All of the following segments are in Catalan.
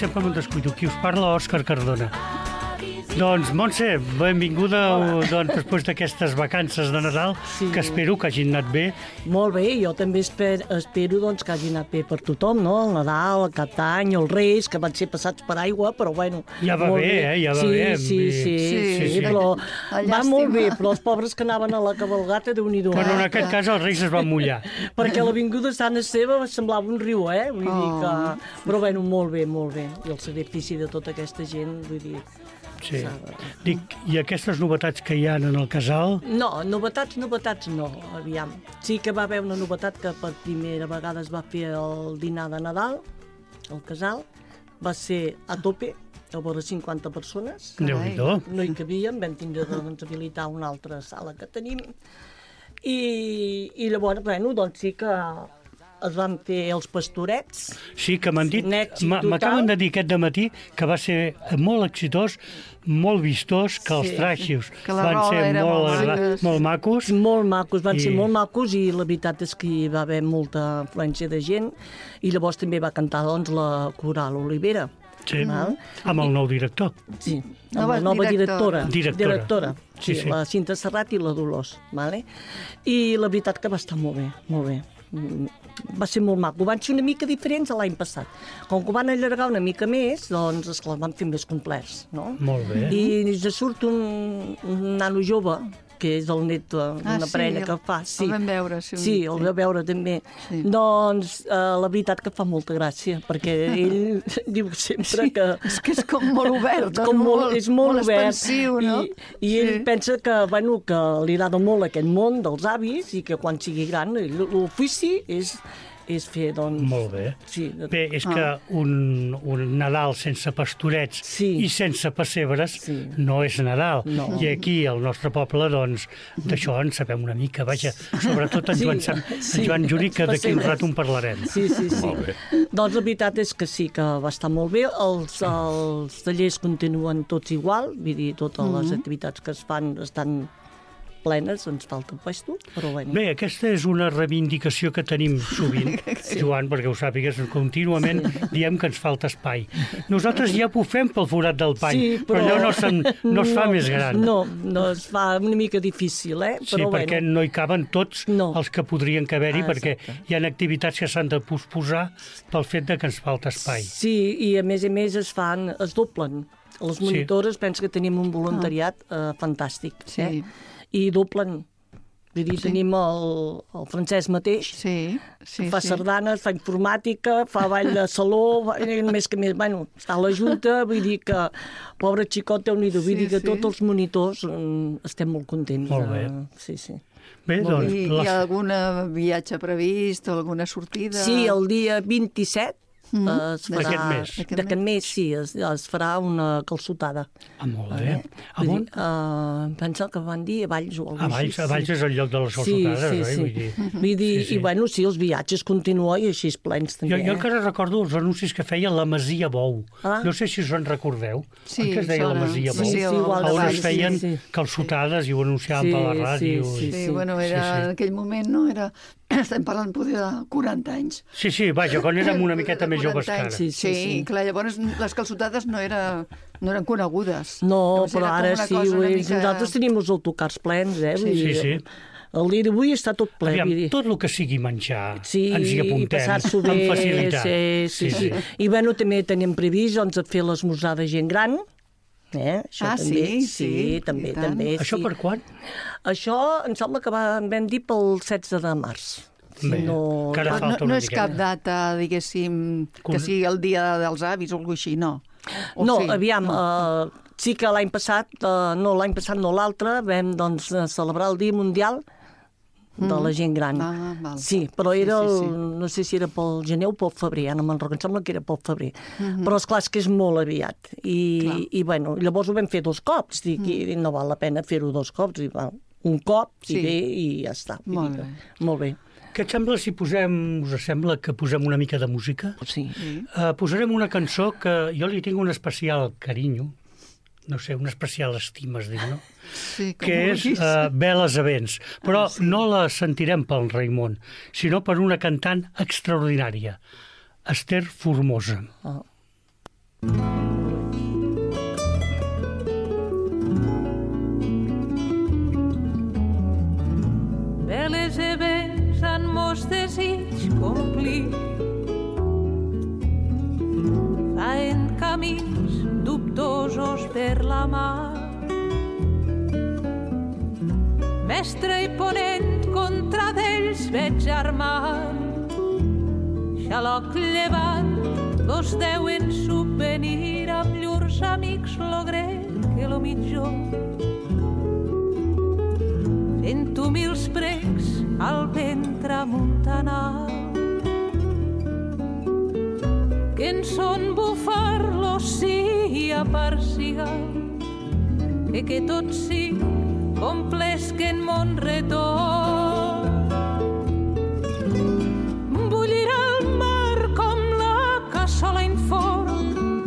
sempre me'n descuido. Qui us parla, Òscar Cardona. Doncs, Montse, benvinguda després d'aquestes vacances de Nadal, que espero que hagin anat bé. Molt bé, jo també espero doncs, que hagi anat bé per tothom, no? El Nadal, el Cap d'Any, els Reis, que van ser passats per aigua, però bueno... Ja va bé, ja va bé. Sí, però va molt bé, però els pobres que anaven a la cabalgata, Déu-n'hi-do. Però en aquest cas els Reis es van mullar. Perquè l'avinguda Sant Esteve semblava un riu, Vull dir que... Però bueno, molt bé. I el sacrifici de tota aquesta gent, vull dir... Sí. Dic, i aquestes novetats que hi ha en el casal? No, novetats no, aviam. Sí que va haver una novetat que per primera vegada es va fer el dinar de Nadal, al casal. Va ser a tope, a vora 50 persones. Déu-n'hi-do. No hi cabíem, vam tindre d'habilitar una altra sala que tenim. I llavors, bueno, doncs sí que... es van fer els pastorets. Sí, que m'han dit, m'acaben de dir aquest dematí que va ser molt exitós, molt vistós, que els traixos van ser molt macos. Molt macos, van ser molt macos i la veritat és que hi va haver molta afluència de gent i llavors també va cantar doncs, la Coral Olivera. Sí, amb el nou director. Sí, amb la nova directora. Sí. La Cinta Serrat i la Dolors. I la veritat que va estar molt bé. Va ser molt maco. Van ser una mica diferents a l'any passat. Com que ho van allargar una mica més, doncs, esclar, van fer més complets, no? Molt bé. I ja surt un nano jove, que és el net d'una parella que fa. Sí, el vam veure. Sí, el vam veure també. Sí. Doncs la veritat que fa molta gràcia, perquè ell diu sempre que... És que és com molt obert, és molt obert, expansiu, no? I ell pensa que, bueno, que li agrada molt aquest món dels avis i que quan sigui gran l'ofici és fer, doncs... Molt bé. Sí. Bé, és que un Nadal sense pastorets i sense pessebres no és Nadal. No. I aquí, al nostre poble, doncs, d'això en sabem una mica. Vaja, sobretot en Joan Juri, que d'aquí un rato en parlarem. Sí. Molt bé. Doncs la veritat és que sí, que va estar molt bé. Els tallers continuen tots igual, vull dir, totes les activitats que es fan estan plenes, ens falta un puesto, però bueno. Bé, aquesta és una reivindicació que tenim sovint, Joan, perquè ho sàpigues, contínuament diem que ens falta espai. Nosaltres ja ho fem pel forat del pany, però allò no es fa més gran. No es fa una mica difícil, Sí, perquè no hi caben tots els que podrien caber-hi, perquè hi ha activitats que s'han de posposar pel fet que ens falta espai. Sí, i a més es doblen. Les monitores, penso que tenim un voluntariat fantàstic, i doblen. Vull dir, tenim el Francesc mateix, fa sardanes, fa informàtica, fa ball de saló, més que més, bueno, està a la Junta, vull dir que, pobre xicot, Déu-n'hi-do, vull dir que tots els monitors estem molt contents. Molt bé. Sí. Bé, doncs... I hi ha algun viatge previst, alguna sortida? Sí, el dia 27, d'aquest mes, sí, es farà una calçotada. Molt bé. Pensa que van dir a Valls o alguna cosa així. A Valls és el lloc de les calçotades, Vull dir, i bueno, sí, els viatges continuen i així plens també. Jo encara recordo els anuncis que feia la Masia Bou. No sé si us en recordeu. Sí, que es deia la Masia Bou. On es feien calçotades i ho anunciaven per la ràdio. Sí, bueno, en aquell moment no era... Estem parlant poder de 40 anys. Sí, vaja, quan érem una miqueta més joves que ara. Sí, clar, llavors les calçotades no eren conegudes. No, però ara sí, nosaltres tenim els autocars plens, Sí. El dia d'avui està tot ple. Tot el que sigui menjar ens hi apuntem amb facilitat. Sí. I bueno, també tenim previst fer l'esmorzar de gent gran. Això també. Això per quan? Això em sembla que vam dir pel 16 de març. No és cap data, diguéssim, que sigui el dia dels avis o alguna cosa així, no? No, aviam, sí que l'any passat, l'altre, vam celebrar el Dia Mundial de la gent gran. Sí, però era no sé si era pel gener o pel febrer, no me'n recordo, em sembla que era pel febrer. Però esclar, és que és molt aviat. I bueno, llavors ho vam fer 2 cops, i no val la pena fer-ho 2 cops, un cop, i ja està. Molt bé. Què et sembla si us sembla que posem una mica de música? Sí. Posarem una cançó que jo li tinc un especial carinyo, no sé, una especial estima, es diu, no? Sí, que és Veles a vents. Però no la sentirem pel Raimon, sinó per una cantant extraordinària, Esther Formosa. Veles e vents han mos desig complir. Faen camins dubtosos per la mar. Mestre i ponent contra d'ells veig armar. Xaloc llevant, dos deuen subvenir amb llurs amics lo grec que lo mitjor. Fent humils precs al ventre amuntanat, que en son bufar-lo sia parcigal, que tot sigui complesquen mon retorn. Bullirà el mar com la cassola inform,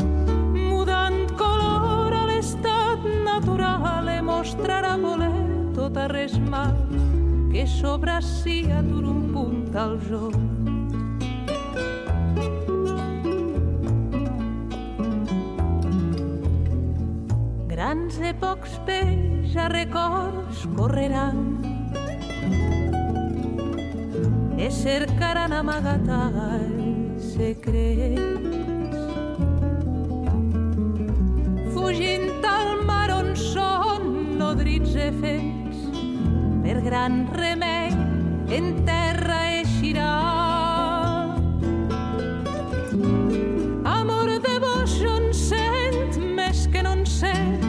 mudant color a l'estat natural, e mostrarà voler tot a res mal, que sobracia dur un punt al joc. Grans e pocs peix a records correran, e cercaran amagatalls secrets, fugint al mar on són nodrits e fets, per gran remei en terra eixirà. Amor de vos jo en sent més que no en sent,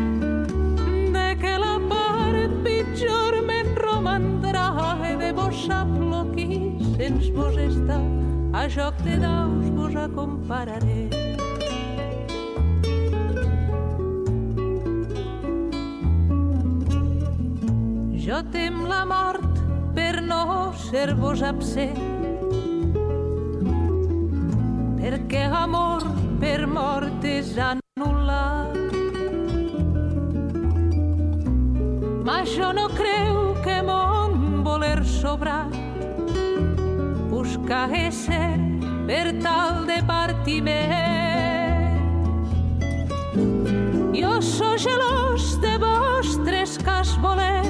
de que la part pitjor me'n romandrà, e de vos sap lo qui sens vos està, a joc de daus vos acompararé. Jo tem la mort per no ser-vos absent, perquè amor per mort és anul·lat. Ma jo no creu que mon voler sobrat busca ésser per tal de partiment. Jo so gelós de vostres cas voler,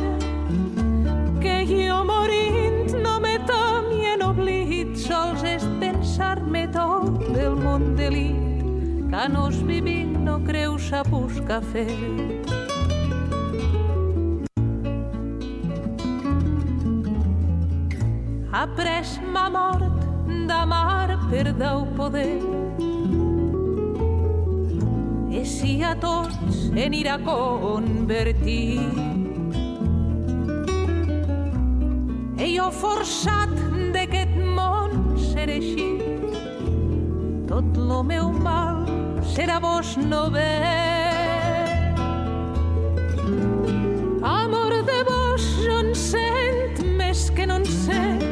que jo morint no me tami en oblit, sols és pensar-me tot del món delit, que nos vivint no creu sa busca fer. Après ma mort d'amar per deu poder, e si a tots en ira convertir, e jo forçat d'aquest món ser així, tot lo meu mal serà vos no bé. Amor de vos jo en sent més que no en sent,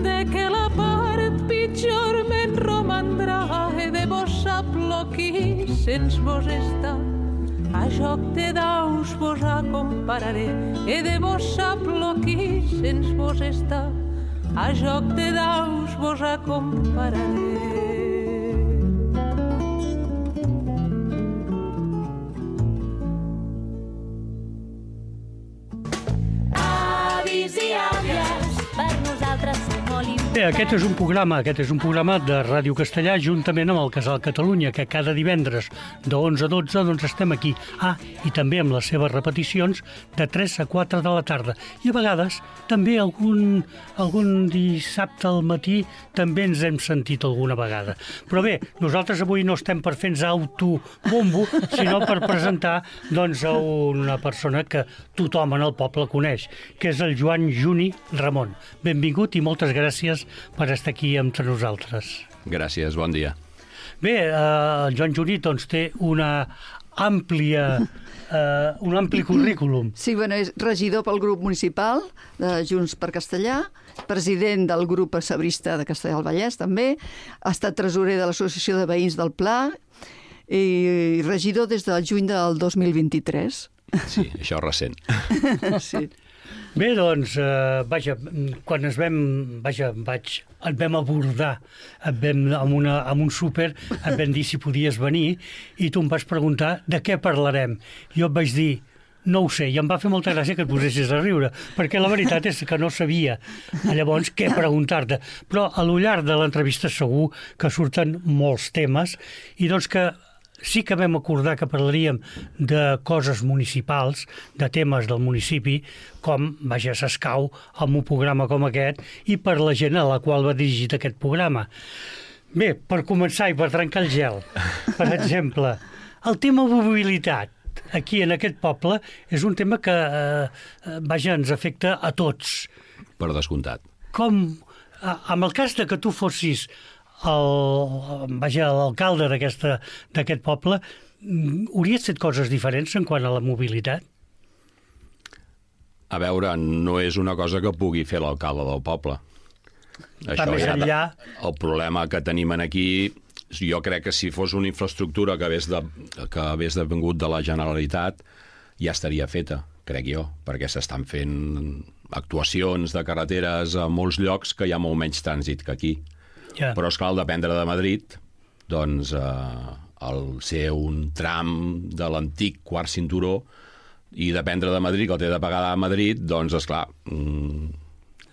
de que la part pitjor me'n romandrà, e de vos sap lo qui sens vos està, a joc de daus vos acompararé, e de vos sap lo qui sens vos està, a joc de daus vos acompararé. Avis i àvies, per nosaltres som molt importants. Bé, aquest és un programa de Ràdio Castellà juntament amb el Casal Catalunya, que cada divendres de 11 a 12 doncs estem aquí. I també amb les seves repeticions de 3 a 4 de la tarda. I a vegades també algun dissabte al matí també ens hem sentit alguna vegada. Però bé, nosaltres avui no estem per fer-nos autobombo, sinó per presentar doncs, a una persona que tothom en el poble coneix, que és el Joan Juni Ramon. Benvingut i moltes gràcies per estar aquí entre nosaltres. Gràcies, bon dia. Bé, el Joan Juni doncs, té un ampli currículum. Sí, bueno, és regidor pel grup municipal de Junts per Castellà, president del grup sabrista de Castellà del Vallès, també, ha estat tresorer de l'Associació de Veïns del Pla i regidor des del juny del 2023. Sí, això és recent. Sí. Bé, doncs, vaja, quan et vam abordar, amb un súper, et vam dir si podies venir, i tu em vas preguntar de què parlarem. Jo et vaig dir, no ho sé, i em va fer molta gràcia que et posessis a riure, perquè la veritat és que no sabia llavors què preguntar-te. Però a lo llarg de l'entrevista segur que surten molts temes, i doncs que sí que vam acordar que parlaríem de coses municipals, de temes del municipi, com, vaja, s'escau amb un programa com aquest i per la gent a la qual va dirigit aquest programa. Bé, per començar i per trencar el gel, per exemple, el tema mobilitat. Aquí, en aquest poble, és un tema que, vaja, ens afecta a tots. Per descomptat. Com, amb el cas de que tu fossis l'alcalde d'aquest poble, hauries fet coses diferents en quant a la mobilitat? A veure, no és una cosa que pugui fer l'alcalde del poble. Això més enllà... El problema que tenim aquí... Jo crec que si fos una infraestructura que hagués vingut de la Generalitat ja estaria feta, crec jo, perquè s'estan fent actuacions de carreteres a molts llocs que hi ha molt menys trànsit que aquí. Yeah. Però, esclar, al dependre de Madrid, doncs, al ser un tram de l'antic quart cinturó i dependre de Madrid, que el té de pagar a Madrid, doncs, esclar...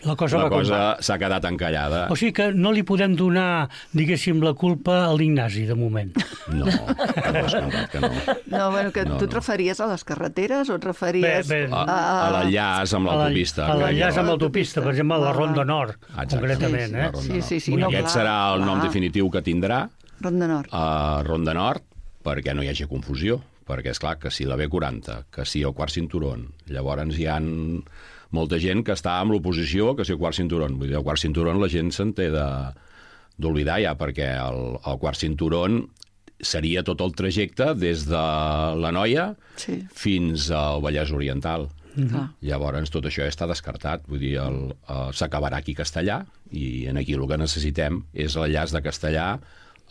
La cosa s'ha quedat encallada. O sigui que no li podem donar, diguéssim, la culpa a l'Ignasi, de moment. No, que no. No, bueno, que tu et referies a les carreteres o et referies a l'enllaç amb l'autopista. A l'enllaç amb l'autopista, per exemple, a la Ronda Nord, concretament. Sí. Aquest serà el nom definitiu que tindrà. Ronda Nord. Ronda Nord, perquè no hi hagi confusió. Perquè, és clar, que si la B40, que si el quart cinturó, llavors hi ha molta gent que està amb l'oposició que si el quart cinturó. Vull dir, el quart cinturó la gent se'n té d'oblidar ja, perquè el quart cinturó seria tot el trajecte des de l'Anoia fins al Vallès Oriental. Llavors tot això ja està descartat. Vull dir, s'acabarà aquí Castellà i aquí el que necessitem és l'enllaç de Castellà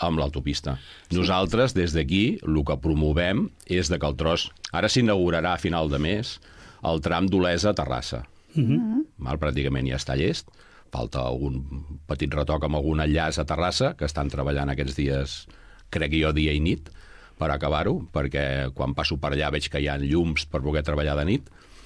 amb l'autopista. Nosaltres, des d'aquí, el que promovem és que el tros... Ara s'inaugurarà a final de mes el tram d'Olesa a Terrassa. Pràcticament ja està llest. Falta algun petit retoc amb algun enllaç a Terrassa, que estan treballant aquests dies, crec jo, dia i nit, per acabar-ho, perquè quan passo per allà veig que hi ha llums per poder treballar de nit.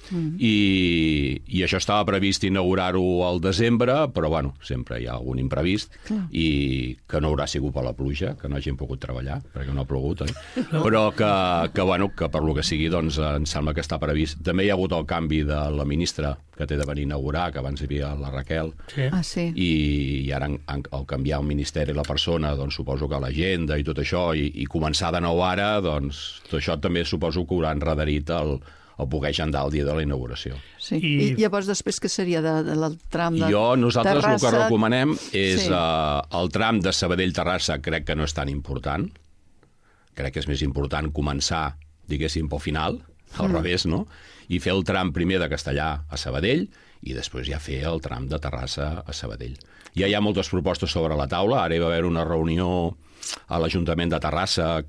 I això estava previst inaugurar-ho al desembre, però bueno, sempre hi ha algun imprevist i que no haurà sigut per la pluja, que no hagin pogut treballar, perquè no ha plogut, però que per lo que sigui, doncs em sembla que està previst. També hi ha hagut el canvi de la ministra que té de venir a inaugurar, que abans hi havia la Raquel, i ara al canviar el ministeri i la persona, doncs suposo que l'agenda i tot això, i començar de nou ara, doncs tot això també suposo que haurà enrederit el poder agendar el dia de la inauguració. Sí. I llavors després què seria del tram de Terrassa? Nosaltres el que recomanem és el tram de Sabadell-Terrassa, crec que no és tan important. Crec que és més important començar, diguéssim, pel final, al revés, no? I fer el tram primer de Castellà a Sabadell i després ja fer el tram de Terrassa a Sabadell. Ja hi ha moltes propostes sobre la taula. Ara hi va haver una reunió a l'Ajuntament de Terrassa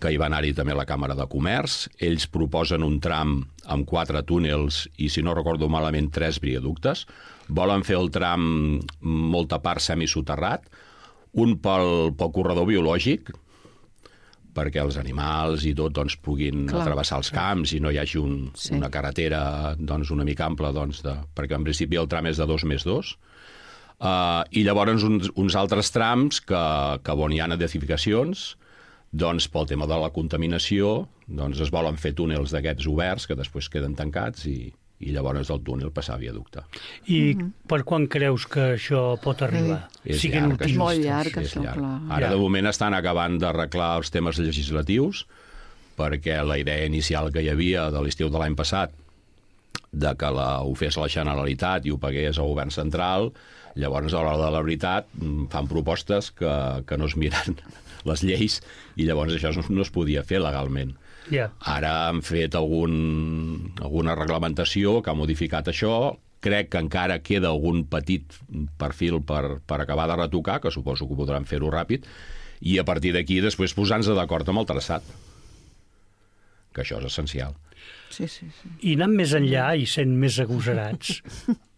que hi va anar-hi també la Càmera de Comerç. Ells proposen un tram amb 4 túnels i, si no recordo malament, 3 viaductes. Volen fer el tram molta part semisoterrat, un pel corredor biològic, perquè els animals i tot doncs, puguin travessar els camps i no hi hagi una carretera doncs, una mica ampla, doncs, perquè en principi el tram és de 2+2. I llavors uns altres trams que on hi ha edificacions, doncs pel tema de la contaminació doncs es volen fer túnels d'aquests oberts que després queden tancats i llavors del túnel passar a viaducte. I per quan creus que això pot arribar? És llarg, és molt llarg, això, clar. Ara de moment estan acabant d'arreglar els temes legislatius perquè la idea inicial que hi havia de l'estiu de l'any passat de que ho fes la Generalitat i ho pagués el govern central, llavors a l'hora de la veritat fan propostes que no es miren les lleis i llavors això no es podia fer legalment. Ara han fet alguna reglamentació que ha modificat això. Crec que encara queda algun petit perfil per acabar de retocar, que suposo que podran fer-ho ràpid, i a partir d'aquí després posar-nos d'acord amb el traçat. que això és essencial. Sí. I anant més enllà i sent més agosarats,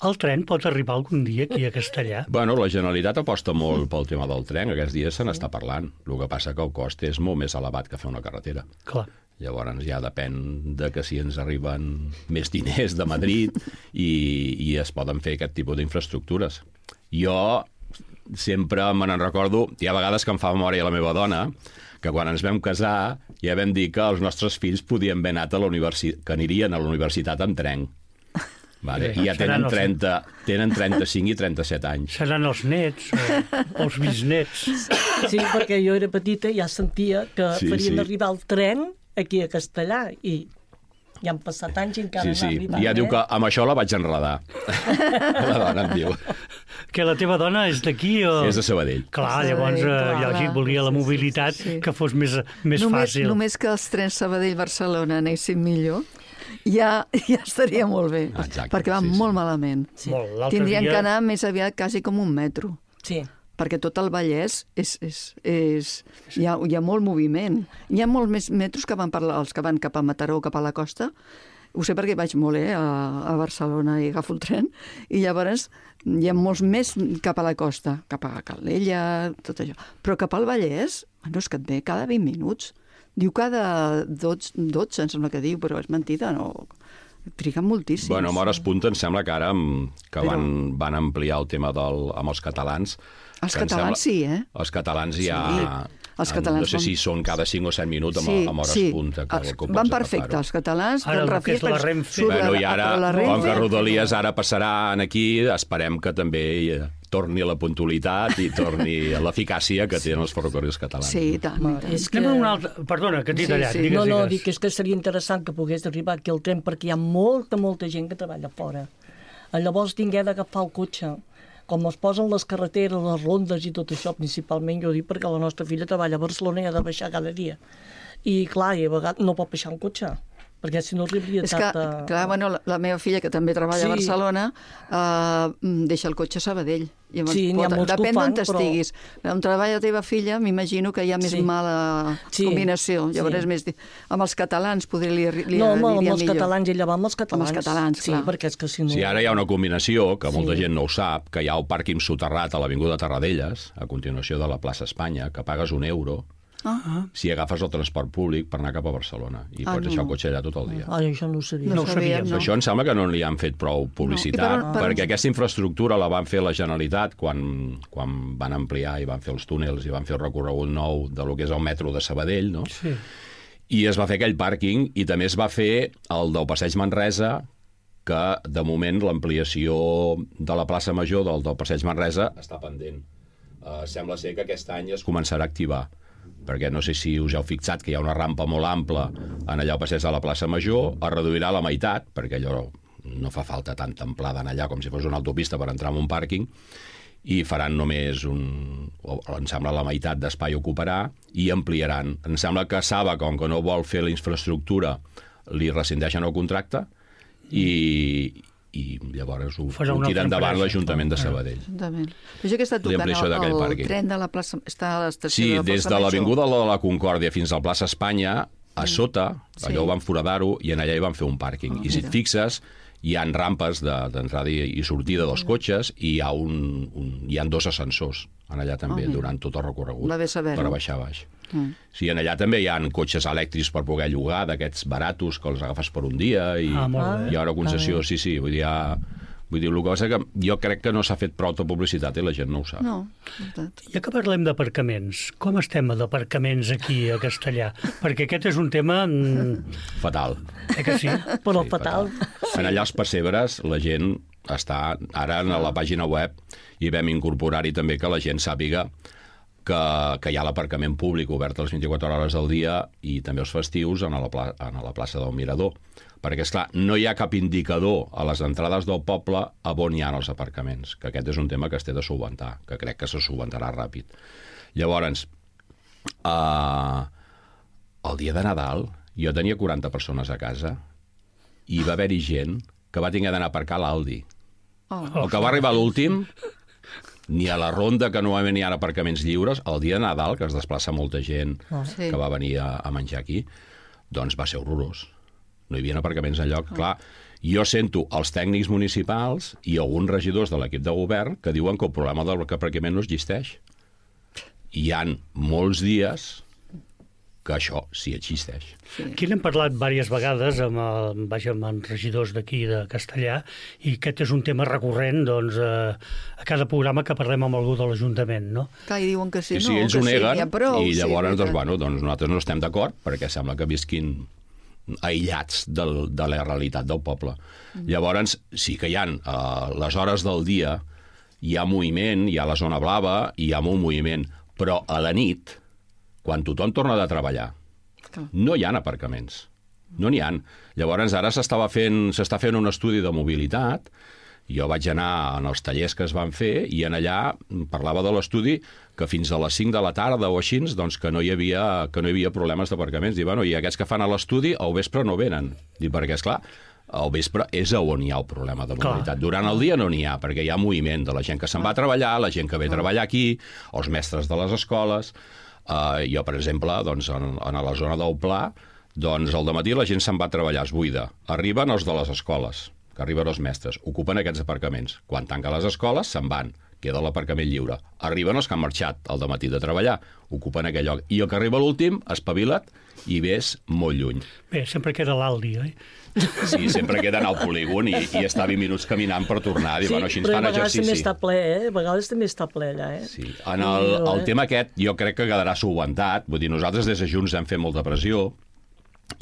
el tren pot arribar algun dia aquí a Castellar? Bueno, la Generalitat aposta molt pel tema del tren, aquests dies se n'està parlant. El que passa que el cost és molt més elevat que fer una carretera. Clar. Llavors ja depèn de que si ens arriben més diners de Madrid i es poden fer aquest tipus d'infraestructures. Jo sempre me n'en recordo, hi ha vegades que em fa memòria la meva dona, que quan ens vam casar ja vam dir que els nostres fills podien haver anat a la universitat, que anirien a la universitat amb tren. Vale? I ja tenen 35 i 37 anys. Seran els nets o els bisnets. Sí, perquè jo era petita i ja sentia que farien arribar el tren aquí a Castellar i ja han passat anys i encara no ha arribat. Ja diu que amb això la vaig enredar. La dona em diu. Que la teva dona és d'aquí o...? És de Sabadell. Clar, llavors lògic, volia la mobilitat que fos més fàcil. Només que els trens Sabadell-Barcelona anessin millor, ja estaria molt bé. Exacte, perquè van molt malament. Sí. Tindrien que anar més aviat quasi com un metro. Sí. Perquè tot el Vallès hi ha molt moviment. Hi ha molts més metros que van els que van cap a Mataró, cap a la costa. Ho sé perquè vaig molt a Barcelona i agafo el tren, i llavors hi ha molts més cap a la costa, cap a Calella, tot això. Però cap al Vallès, és que et ve cada 20 minuts. Diu cada 12, em sembla que diu, però és mentida, no... Triguen moltíssims. Bueno, amb hores punta em sembla que ara van ampliar el tema amb els catalans. Els catalans sí, eh? Els catalans ja... Els catalans no sé si són cada 5 o 7 minuts amb hores punta. Van perfecte, els catalans. Ara el que és la Renfe. Bueno, i ara, com que Rodalies ara passaran aquí, esperem que també torni la puntualitat i torni l'eficàcia que tenen els ferrocarrils catalans. Sí, i tant. Anem a una altra... Perdona, que t'he tallat. Digues. No, dic que seria interessant que pogués arribar aquí al tren perquè hi ha molta gent que treballa fora. Llavors tingué d'agafar el cotxe. Com es posen les carreteres, les rondes i tot això, principalment, jo dic perquè la nostra filla treballa a Barcelona i ha de baixar cada dia. I clar, i a vegades no pot baixar un cotxe, perquè si no arribaria tard... Clar, bueno, la meva filla, que també treballa a Barcelona, deixa el cotxe a Sabadell. Sí, n'hi ha molts que ho fan, depèn d'on estiguis. On treballa la teva filla, m'imagino que hi ha més mala combinació. Llavors, més amb els catalans li aniria millor. No, amb els catalans, ella va amb els catalans. Amb els catalans, clar. Sí, perquè és que si no... Sí, ara hi ha una combinació, que molta gent no ho sap, que hi ha el pàrquing soterrat a l'Avinguda Tarradellas, a continuació de la plaça Espanya, que pagues €1 si agafes el transport públic per anar cap a Barcelona. I pots deixar el cotxe allà tot el dia. Això no ho sabia. No ho sabíem, no. Això em sembla que no li han fet prou publicitat, perquè aquesta infraestructura la van fer la Generalitat quan van ampliar i van fer els túnels i van fer el recorregut nou de lo que és el metro de Sabadell, no? Sí. I es va fer aquell pàrquing i també es va fer el del Passeig Manresa, que de moment l'ampliació de la plaça Major del Passeig Manresa està pendent. Sembla ser que aquest any es començarà a activar, perquè no sé si us heu fixat que hi ha una rampa molt ampla en allà al passeig de la plaça Major, es reduirà a la meitat, perquè allò no fa falta tanta amplada en allà com si fos una autopista per entrar en un pàrquing, i faran només em sembla la meitat d'espai ocuparà i ampliaran. Em sembla que Saba, com que no vol fer la infraestructura, li rescindeixen el contracte i llavors ho tira endavant l'Ajuntament de Sabadell. Però jo que està tocant el tren de la plaça... Està a l'estació de la plaça Major. Sí, des de l'Avinguda de la Concòrdia fins a la plaça Espanya, a sota, allò ho van foradar-ho, i en allà hi van fer un pàrquing. I si et fixes, hi ha rampes d'entrada i sortida dels cotxes i hi ha 2 ascensors en allà també, durant tot el recorregut, per baixar a baix. Sí, en allà també hi ha cotxes elèctrics per poder llogar, d'aquests baratos que els agafes per un dia, i hi ha una concessió, sí, vull dir, el que passa que jo crec que no s'ha fet prou de publicitat i la gent no ho sap. No, ja que parlem d'aparcaments, com estem d'aparcaments aquí a Castellar? Perquè aquest és un tema... Fatal. Que sí? Però fatal. En allà als pessebres la gent està... Ara a la pàgina web hi vam incorporar-hi també que la gent sàpiga que hi ha l'aparcament públic obert a les 24 hores del dia i també els festius a la plaça del Mirador. Perquè, esclar, no hi ha cap indicador a les entrades del poble a on hi ha els aparcaments, que aquest és un tema que es té de solventar, que crec que se solventarà ràpid. Llavors, el dia de Nadal jo tenia 40 persones a casa i va haver-hi gent que va haver d'anar a aparcar a l'Aldi. El que va arribar a l'últim, ni a la ronda, que normalment hi ha aparcaments lliures, el dia de Nadal, que es desplaça molta gent que va venir a menjar aquí, doncs va ser horrorós. No hi havia aparcaments enlloc. Clar, jo sento els tècnics municipals i alguns regidors de l'equip de govern que diuen que el problema del aparcament no existeix. Hi ha molts dies que això sí existeix. Aquí n'hem parlat diverses vegades amb regidors d'aquí de Castellà, i aquest és un tema recurrent doncs, a cada programa que parlem amb algú de l'Ajuntament, no? Clar, i diuen que sí, sí, ells ho neguen, i llavors doncs, nosaltres no estem d'acord perquè sembla que visquin aïllats de la realitat del poble. Llavors, sí que hi ha les hores del dia, hi ha moviment, hi ha la zona blava, hi ha molt moviment, però a la nit, quan tothom torna de treballar, no hi ha aparcaments. No n'hi ha. Llavors, ara s'està fent un estudi de mobilitat. Jo vaig anar en els tallers que es van fer i en allà parlava de l'estudi que fins a les 5 de la tarda o així, doncs que no hi havia problemes d'aparcaments. I, bueno, i aquests que fan a l'estudi al vespre no venen. Perquè, esclar, al vespre és on hi ha el problema de mobilitat. Durant el dia no n'hi ha, perquè hi ha moviment de la gent que se'n va a treballar, la gent que ve a treballar aquí, els mestres de les escoles. Jo, per exemple, doncs, en la zona del Pla, doncs al dematí la gent se'n va a treballar, es buida. Arriben els de les escoles, que arriben els mestres, ocupen aquests aparcaments. Quan tanquen les escoles, se'n van, queda l'aparcament lliure. Arriben els que han marxat al dematí de treballar, ocupen aquell lloc. I el que arriba l'últim, espavila't i ves molt lluny. Bé, sempre queda l'Aldi, oi? Sí, sempre queden al polígon i està 20 minuts caminant per tornar. Sí, bueno, així ens fan exercici. Però a vegades també està ple, A vegades també està ple allà, Sí. En el tema aquest, jo crec que quedarà solucionat. Vull dir, nosaltres des de Junts hem fet molta pressió,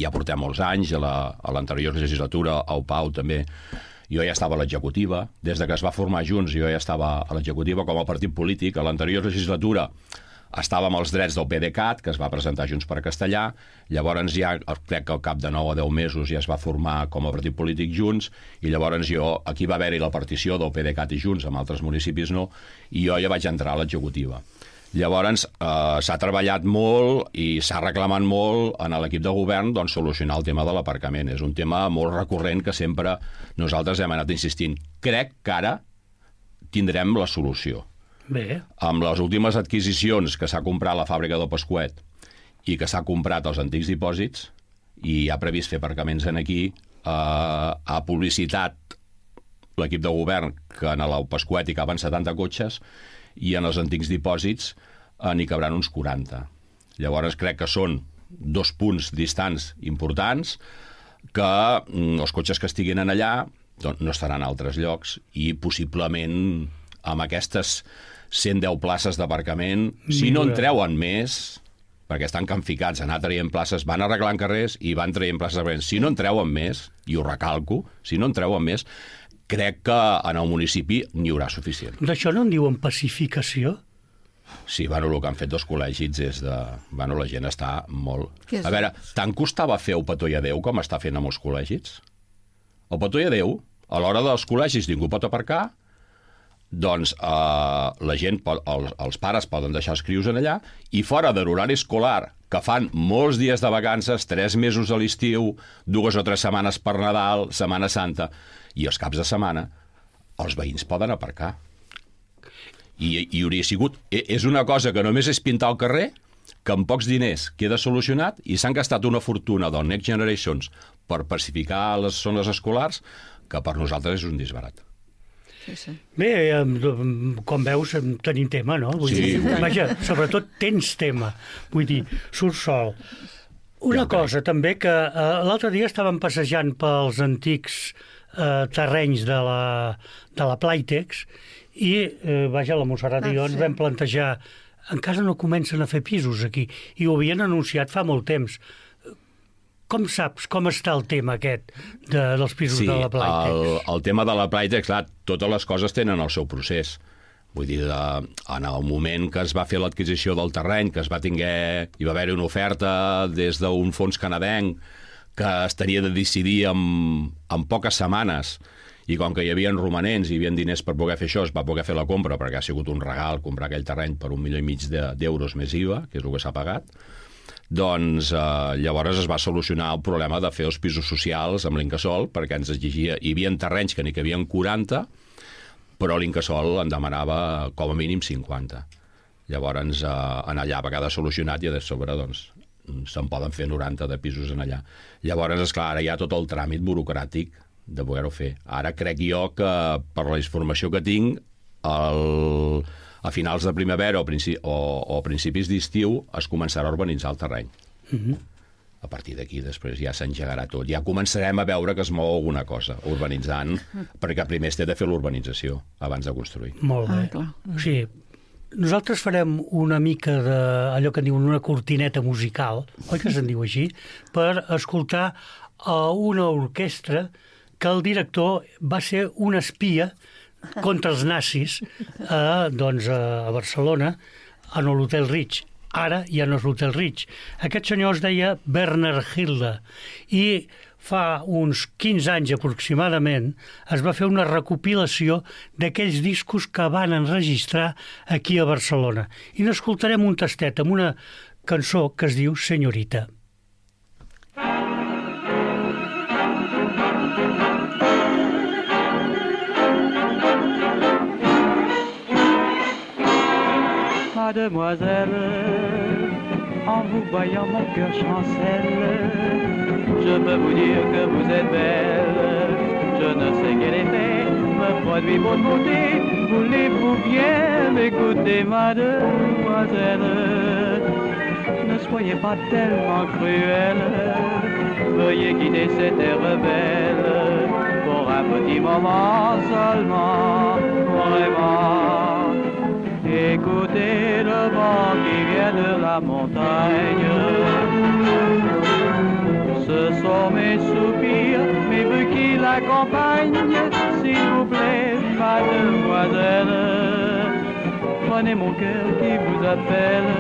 ja portem molts anys, a l'anterior legislatura, al Pau també. Jo ja estava a l'executiva. Des que es va formar Junts, jo ja estava a l'executiva com a partit polític. A l'anterior legislatura estàvem als drets del PDeCAT, que es va presentar Junts per Castellà. Llavors ja, crec que al cap de 9 o 10 mesos ja es va formar com a partit polític Junts, i llavors aquí va haver-hi la partició del PDeCAT i Junts, amb altres municipis no, i jo ja vaig entrar a l'executiva. Llavors s'ha treballat molt i s'ha reclamat molt en l'equip de govern doncs, solucionar el tema de l'aparcament. És un tema molt recurrent que sempre nosaltres hem anat insistint. Crec que ara tindrem la solució. Bé. Amb les últimes adquisicions que s'ha comprat la fàbrica del Pasquet i que s'ha comprat els antics dipòsits i ha previst fer aparcaments aquí, ha publicitat l'equip de govern que en el Pasquet hi caben 70 cotxes i en els antics dipòsits n'hi cabran uns 40. Llavors crec que són 2 punts distants importants que els cotxes que estiguin allà doncs, no estaran a altres llocs i possiblement amb aquestes 110 places d'aparcament, si no en treuen més, perquè estan canficats, anar traient places, van arreglant carrers i van traient places d'aparcament. Si no en treuen més, i ho recalco, si no en treuen més, crec que en el municipi n'hi haurà suficient. D'això no en diuen pacificació? Sí, bueno, el que han fet els col·legis és de... Bueno, la gent està molt... A veure, tant costava fer el petó i adéu com està fent amb els col·legis? El petó i adéu, a l'hora dels col·legis ningú pot aparcar, doncs la gent, els pares poden deixar els crios en allà i fora de l'horari escolar, que fan molts dies de vacances, 3 mesos a l'estiu, 2 o 3 setmanes per Nadal, Setmana Santa, i els caps de setmana, els veïns poden aparcar. I hauria sigut... És una cosa que només és pintar el carrer, que amb pocs diners queda solucionat i s'han gastat una fortuna del Next Generations per pacificar les zones escolars, que per nosaltres és un disbarat. Sí. Bé, com veus, tenim tema, no? Vull dir, vaja, sobretot tens tema. Vull dir, surt sol. Una cosa també, que l'altre dia estàvem passejant pels antics terrenys de la Playtex i, vaja, la Montserrat i jo ens vam plantejar, encara no comencen a fer pisos aquí, i ho havien anunciat fa molt temps. Com saps com està el tema aquest dels pisos de la Playtex? Sí, el tema de la Playtex, clar, totes les coses tenen el seu procés. Vull dir, en el moment que es va fer l'adquisició del terreny, que hi va haver una oferta des d'un fons canadenc que es tenia de decidir en poques setmanes, i com que hi havia romanents i hi havia diners per poder fer això, es va poder fer la compra, perquè ha sigut un regal comprar aquell terreny per 1,5 milió d'euros més IVA, que és el que s'ha pagat. Doncs llavors es va solucionar el problema de fer els pisos socials amb l'Incasòl, perquè ens exigia... Hi havia terrenys que n'hi cabien 40, però l'Incasòl en demanava com a mínim 50. Llavors, allà va quedar solucionat i a sobre doncs, se'n poden fer 90 de pisos en allà. Llavors, esclar, ara hi ha tot el tràmit burocràtic de poder-ho fer. Ara crec jo que, per la informació que tinc, a finals de primavera o principis d'estiu es començarà a urbanitzar el terreny. A partir d'aquí després ja s'engegarà tot. Ja començarem a veure que es mou alguna cosa urbanitzant, perquè primer es té de fer l'urbanització abans de construir. Molt bé. Sí, nosaltres farem una mica d'allò que en diuen una cortineta musical, oi que se'n diu així, per escoltar una orquestra que el director va ser un espia contra els nazis a Barcelona, en l'Hotel Ritz. Ara ja no és l'Hotel Ritz. Aquest senyor es deia Werner Hilde i fa uns 15 anys aproximadament es va fer una recopilació d'aquells discos que van enregistrar aquí a Barcelona. I n'escoltarem un tastet amb una cançó que es diu Senyorita. Mademoiselle, en vous voyant mon cœur chancelle, je peux vous dire que vous êtes belle. Je ne sais quel effet me produit votre beauté. Voulez-vous bien m'écouter, mademoiselle? Ne soyez pas tellement cruelle, veuillez quitter cette terre belle pour un petit moment seulement, vraiment. Écoutez le vent qui vient de la montagne. Ce sont mes soupirs, mes vœux qui l'accompagnent. S'il vous plaît, mademoiselle, prenez mon cœur qui vous appelle.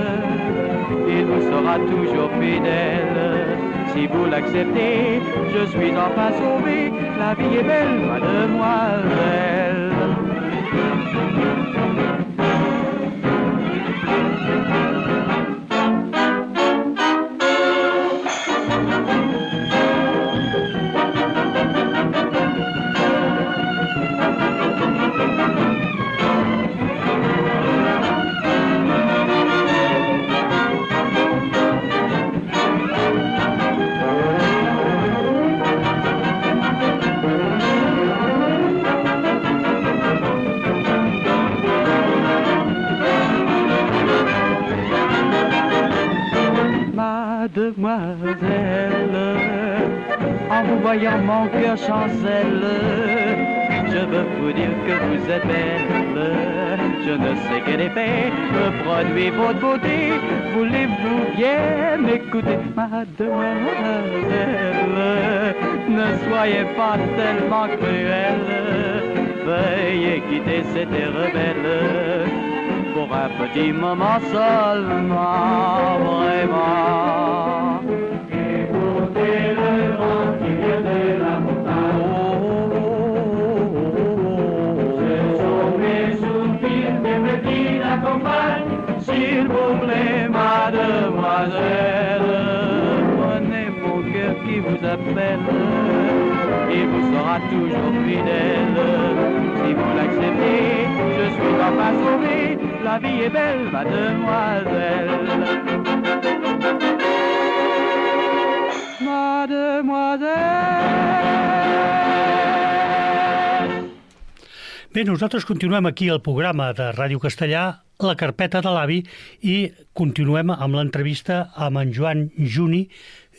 Il vous sera toujours fidèle. Si vous l'acceptez, je suis enfin sauvé. La vie est belle, mademoiselle. Mademoiselle, en vous voyant mon cœur chancelle, je veux vous dire que vous êtes belle. Je ne sais quel effet me produit votre beauté. Voulez-vous bien m'écouter, mademoiselle? Ne soyez pas tellement cruelle, veuillez quitter cette terre belle pour un petit moment seulement, vraiment. Écoutez le vent qui vient de la montagne. Ce sont mes soupirs, mes vœux qui l'accompagnent. S'il vous plaît, mademoiselle, prenez mon cœur qui vous appelle. Il vous sera toujours fidèle. Si vous l'acceptez, je suis enfin sauvé. La vie est belle, mademoiselle. Mademoiselle. Bé, nosaltres continuem aquí al programa de Ràdio Castellà, La Carpeta de l'Avi, i continuem amb l'entrevista amb en Joan Juni,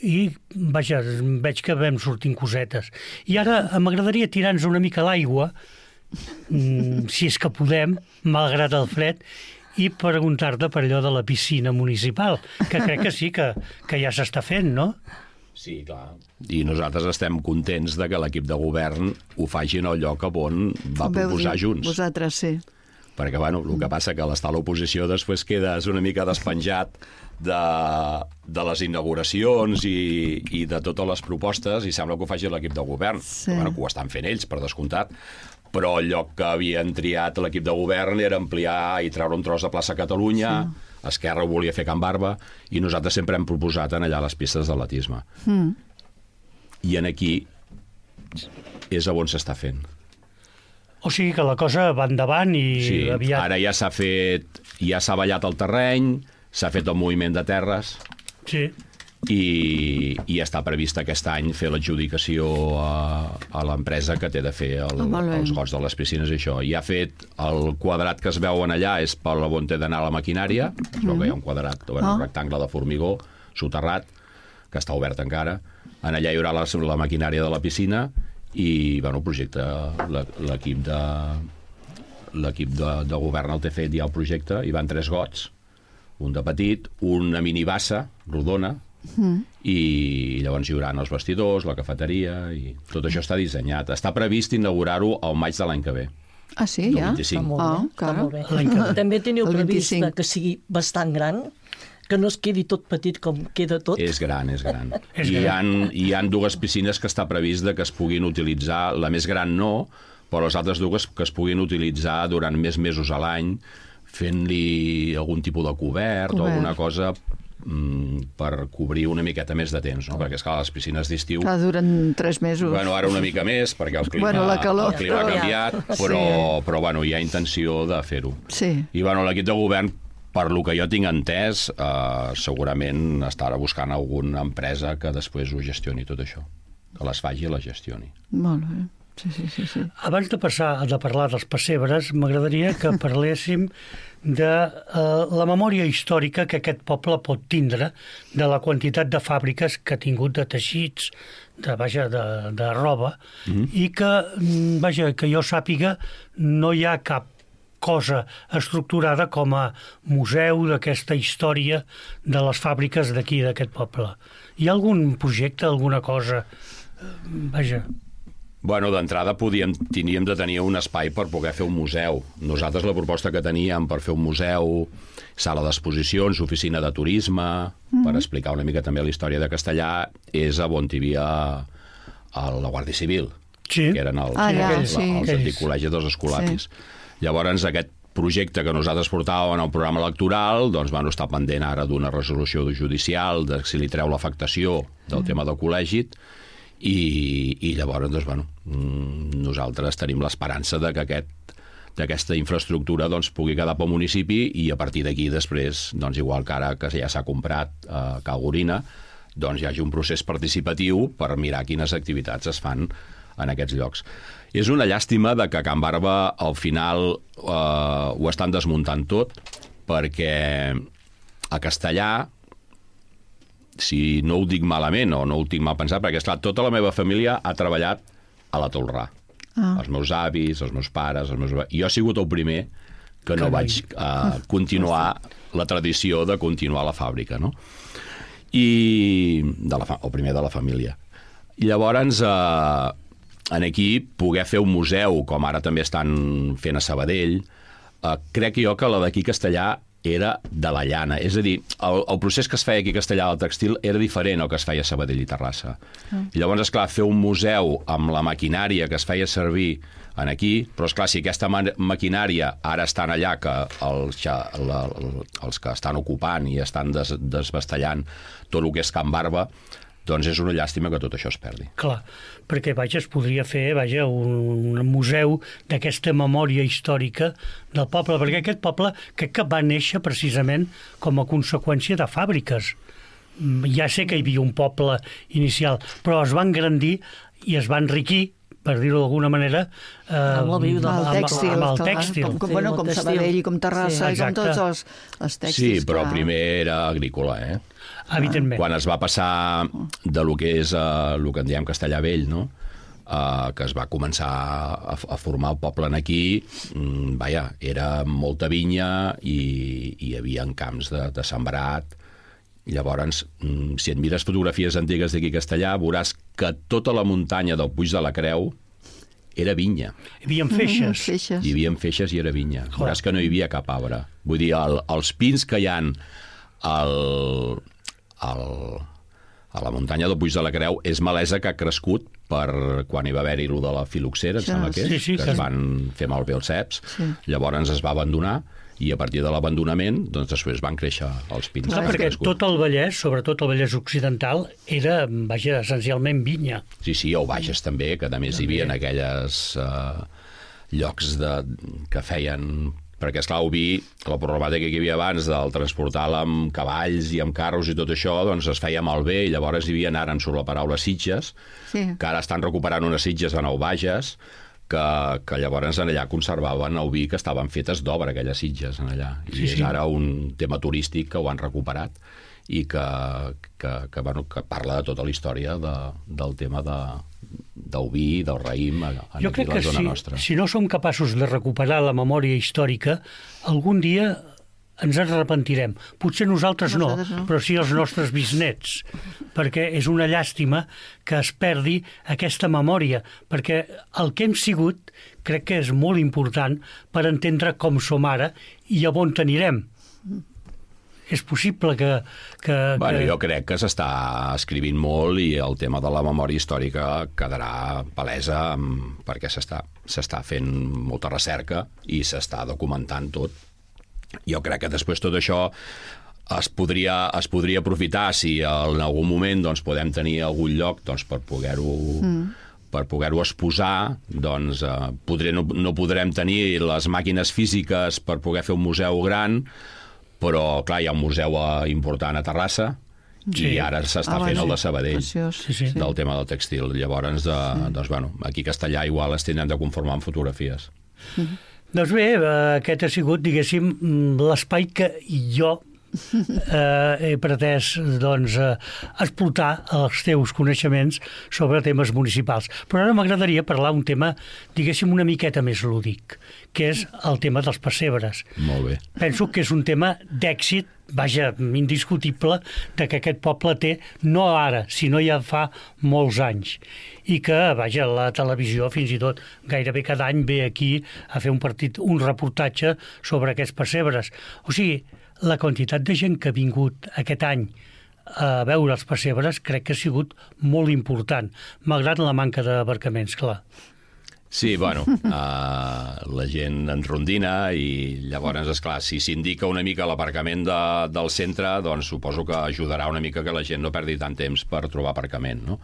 i vaja, veig que vam sortint cosetes. I ara m'agradaria tirar-nos una mica a l'aigua, si és que podem, malgrat el fred, i preguntar-te per allò de la piscina municipal, que crec que sí, que ja s'està fent, no? Sí, clar. I nosaltres estem contents de que l'equip de govern ho faci en el lloc on va proposar Junts. Vosaltres, sí. Perquè, bueno, el que passa que l'estar a l'oposició després quedes una mica despenjat de les inauguracions i de totes les propostes, i sembla que ho faci l'equip de govern. Sí. Bueno, que ho estan fent ells, per descomptat, però el lloc que havien triat l'equip de govern era ampliar i treure un tros de plaça Catalunya, sí. Esquerra ho volia fer Can Barba, i nosaltres sempre hem proposat en allà les pistes d'atletisme. I en aquí és on s'està fent. O sigui que la cosa va endavant i sí, aviat... Ara ja s'ha ballat el terreny, s'ha fet el moviment de terres, sí. i està previst aquest any fer l'adjudicació a l'empresa que té de fer els gots de les piscines i això. I ha fet el quadrat que es veuen allà és per on té d'anar la maquinària, es veu que hi ha un quadrat, un rectangle de formigó soterrat, que està obert encara. En allà hi haurà la maquinària de la piscina i, bueno, el projecte, l'equip de govern el té fet ja el projecte, hi van 3 gots, un de petit, una minibassa rodona, i llavors hi haurà els vestidors, la cafeteria, i tot això està dissenyat. Està previst inaugurar-ho al maig de l'any que ve. Ah, sí, ja? Està molt bé. També teniu previst que sigui bastant gran, que no es quedi tot petit com queda tot. És gran. Hi ha 2 piscines que està previst que es puguin utilitzar, la més gran no, però les altres 2 que es puguin utilitzar durant més mesos a l'any, fent-li algun tipus de cobert o alguna cosa per cobrir una miqueta més de temps, no? Perquè, esclar, les piscines d'estiu... Duren 3 mesos. Bueno, ara una mica més, perquè el clima ha canviat, però bueno, hi ha intenció de fer-ho. Sí. I bueno, l'equip de govern, per lo que jo tinc entès, segurament estarà buscant alguna empresa que després ho gestioni tot això, que les faci i les gestioni. Molt bé. Sí. Abans de parlar dels pessebres, m'agradaria que parléssim de la memòria històrica que aquest poble pot tindre, de la quantitat de fàbriques que ha tingut de teixits, de roba, i que jo sàpiga no hi ha cap cosa estructurada com a museu d'aquesta història de les fàbriques d'aquí, d'aquest poble. Hi ha algun projecte, alguna cosa? Bueno, d'entrada teníem de tenir un espai per poder fer un museu. Nosaltres la proposta que teníem per fer un museu, sala d'exposicions, oficina de turisme, per explicar una mica també la història de Castellà, és on hi havia la Guàrdia Civil, que eren els antics col·legis dels escolapis. Llavors, aquest projecte que nosaltres portàvem en el programa electoral, doncs, bueno, està pendent ara d'una resolució judicial, de si li treu l'afectació del tema del col·legi, i llavors, doncs, bueno, nosaltres tenim l'esperança de que d'aquesta infraestructura doncs, pugui quedar pel municipi i a partir d'aquí després, doncs, igual que ara que ja s'ha comprat a Cal Gorina, doncs hi hagi un procés participatiu per mirar quines activitats es fan en aquests llocs. És una llàstima de que a Can Barba al final ho estan desmuntant tot, perquè a Castellà, si no ho dic malament o no ho tinc mal pensat, perquè esclar, tota la meva família ha treballat a la Tolrà. Els meus avis, els meus pares, jo he sigut el primer que no vaig continuar la tradició de continuar la fàbrica, no? El primer de la família. I llavors, aquí, poder fer un museu, com ara també estan fent a Sabadell, crec jo que la d'aquí Castellà era de la llana. És a dir, el procés que es feia aquí a Castellà del textil era diferent al que es feia a Sabadell i Terrassa. I llavors, esclar, fer un museu amb la maquinària que es feia servir aquí, però esclar, si aquesta maquinària ara estan allà, que els que estan ocupant i estan desbastellant tot el que és Can Barba, doncs és una llàstima que tot això es perdi. Clar, perquè es podria fer un museu d'aquesta memòria històrica del poble, perquè aquest poble crec que va néixer precisament com a conseqüència de fàbriques. Ja sé que hi havia un poble inicial, però es va engrandir i es va enriquir, per dir-ho d'alguna manera, amb el tèxtil. Com Sabadell i com Terrassa i com tots els tèxtils. Sí, però primer era agrícola, Evidentment. Quan es va passar de lo que és el que en diem Castellà Vell, no? Que es va començar a formar el poble aquí, era molta vinya i hi havia camps de sembrat. Llavors, si et mires fotografies antigues d'aquí a Castellà, veuràs que tota la muntanya del Puig de la Creu era vinya. Hi havia feixes. Hi havia feixes i era vinya. Veuràs que no hi havia cap arbre. Vull dir, els pins que hi ha a la muntanya del Puig de la Creu és malesa que ha crescut per quan hi va haver-hi allò de la filoxera, em sembla que és, que es van fer malbé els ceps. Llavors es va abandonar i a partir de l'abandonament doncs després van créixer els pins. Perquè tot el Vallès, sobretot el Vallès Occidental, era, essencialment vinya. Sí, el Bages també, que a més hi havia aquelles llocs que feien perquè, esclar, Oví, la problemàtica que hi havia abans del transportar-la amb cavalls i amb carros i tot això, doncs es feia malbé, i llavors hi havia, ara en surt la paraula Sitges, que ara estan recuperant unes Sitges a Nou Bages, que llavors allà conservaven a Oví, que estaven fetes d'obra, aquelles Sitges en allà. I és ara un tema turístic que ho han recuperat i que parla de tota la història del tema d'Oví, del raïm, aquí a la zona nostra. Si no som capaços de recuperar la memòria històrica, algun dia ens en arrepentirem. Potser nosaltres no, però sí els nostres bisnets, perquè és una llàstima que es perdi aquesta memòria, perquè el que hem sigut crec que és molt important per entendre com som ara i a on anirem. És possible que... Jo crec que s'està escrivint molt i el tema de la memòria històrica quedarà palesa perquè s'està fent molta recerca i s'està documentant tot. Jo crec que després tot això es podria aprofitar si en algun moment doncs, podem tenir algun lloc doncs, per poder-ho exposar, doncs no podrem tenir les màquines físiques per poder fer un museu gran, però clar, hi ha un museu important a Terrassa i ara s'està fent el de Sabadell, del tema del textil. Llavors, aquí a Castellà igual es tenen de conformar amb fotografies. Doncs bé, aquest ha sigut, diguéssim, l'espai que jo he pretès explotar els teus coneixements sobre temes municipals. Però ara m'agradaria parlar un tema, diguéssim, una miqueta més lúdic, que és el tema dels pessebres. Molt bé. Penso que és un tema d'èxit, vaja, indiscutible, de que aquest poble té, no ara, sinó ja fa molts anys. I que, vaja, la televisió fins i tot gairebé cada any ve aquí a fer un reportatge sobre aquests pessebres. O sigui, la quantitat de gent que ha vingut aquest any a veure els pessebres crec que ha sigut molt important, malgrat la manca d'aparcaments, clar. Sí, la gent ens rondina i llavors, esclar, si s'indica una mica l'aparcament del centre, doncs suposo que ajudarà una mica que la gent no perdi tant temps per trobar aparcament, no?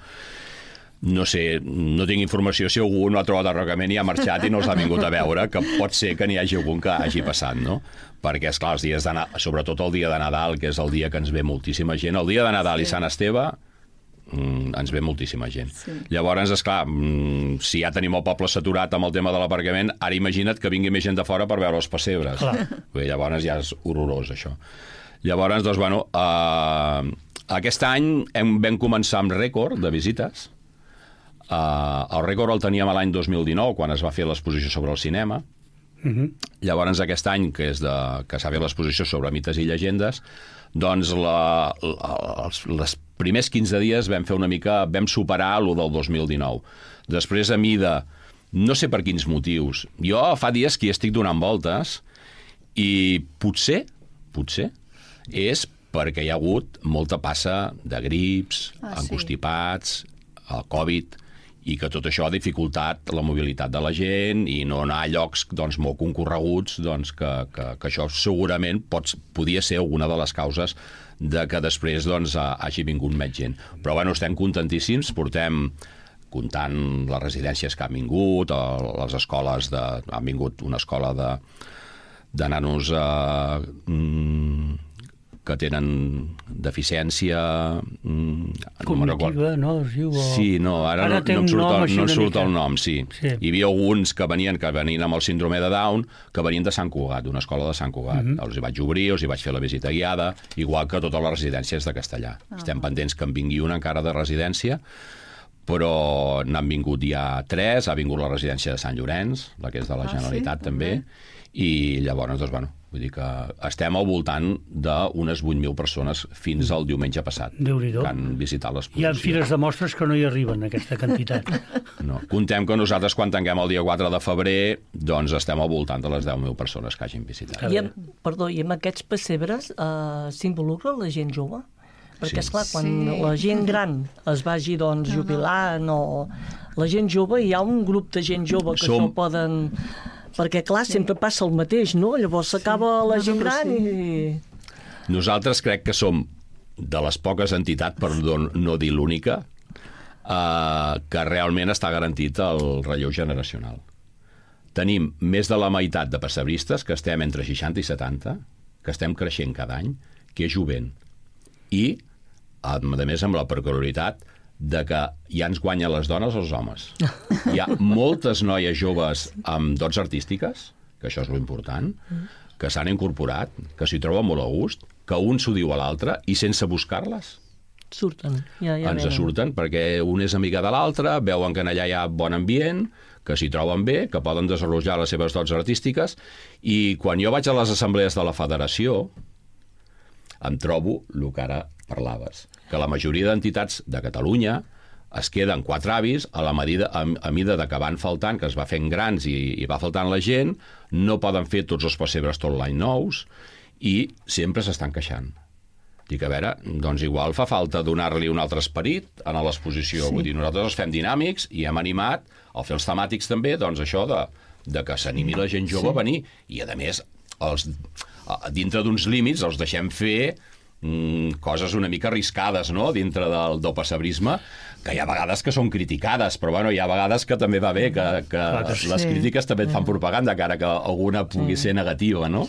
No sé, no tinc informació si algú no ha trobat aparcament i ha marxat i no els ha vingut a veure, que pot ser que n'hi hagi algun que hagi passat, no? Perquè, esclar, els dies sobretot el dia de Nadal, que és el dia que ens ve moltíssima gent, el dia de Nadal i Sant Esteve ens ve moltíssima gent. Llavors, esclar, si ja tenim el poble saturat amb el tema de l'aparcament, ara imagina't que vingui més gent de fora per veure els pessebres. Llavors ja és horrorós, això. Llavors, doncs, aquest any vam començar amb rècord de visites. El rècord el teníem l'any 2019, quan es va fer l'exposició sobre el cinema. Llavors, aquest any, que s'ha fet l'exposició sobre mites i llegendes, doncs els primers 15 dies vam superar el del 2019. Després, a mida, no sé per quins motius, jo fa dies que hi estic donant voltes i potser és perquè hi ha hagut molta passa de grips, encostipats, el Covid, i que tot això ha dificultat la mobilitat de la gent i no anar a llocs molt concorreguts, que això segurament podia ser alguna de les causes de que després hagi vingut més gent. Però estem contentíssims, portem comptant les residències que han vingut, les escoles, han vingut una escola de nanos que tenen deficiència... Cognitiva, no? Sí, no, ara no em surt el nom, sí. Hi havia alguns que venien amb el síndrome de Down, que venien de Sant Cugat, d'una escola de Sant Cugat. Els hi vaig obrir, els hi vaig fer la visita guiada, igual que totes les residències de Castellà. Estem pendents que en vingui una encara de residència, però n'han vingut ja 3, ha vingut la residència de Sant Llorenç, la que és de la Generalitat també, i llavors, vull dir que estem al voltant d'unes 8.000 persones fins al diumenge passat que han visitat l'exposició. Hi ha fires de mostres que no hi arriben, aquesta quantitat. No. Contem que nosaltres, quan tanquem el dia 4 de febrer, doncs estem al voltant de les 10.000 persones que hagin visitat. I amb aquests pessebres s'involucra la gent jove? Perquè, esclar, quan la gent gran es vagi jubilant o la gent jove, hi ha un grup de gent jove que no poden... Perquè, clar, sempre passa el mateix, no? Llavors s'acaba la gent gran i... Nosaltres crec que som de les poques entitats, per no dir l'única, que realment està garantit el relleu generacional. tenim més de la meitat de pessebristes que estem entre 60 i 70, que estem creixent cada any, que és jovent. I, a més, amb la peculiaritat de que ja ens guanyen les dones o els homes. Hi ha moltes noies joves amb dots artístiques, que això és lo important, que s'han incorporat, que s'hi troben molt a gust, que un s'ho diu a l'altre i sense buscar-les. Surten. Ens surten perquè un és amiga de l'altre, veuen que allà hi ha bon ambient, que s'hi troben bé, que poden desenvolupar les seves dots artístiques, i quan jo vaig a les assemblees de la federació em trobo el que ara parlaves, que la majoria d'entitats de Catalunya es queden 4 avis a mida de que van faltant, que es va fent grans i va faltant la gent, no poden fer tots els pessebres tot l'any nous i sempre s'estan queixant. Dic, a veure, doncs igual fa falta donar-li un altre esperit a l'exposició. Vull dir, nosaltres els fem dinàmics i hem animat, al fer els temàtics també, doncs això de que s'animi la gent jove a venir. I, a més, dintre d'uns límits els deixem fer coses una mica arriscades, no?, dintre del pessebrisme, que hi ha vegades que són criticades, però bueno, hi ha vegades que també va bé, que les crítiques també et fan propaganda, encara que alguna pugui ser negativa, no?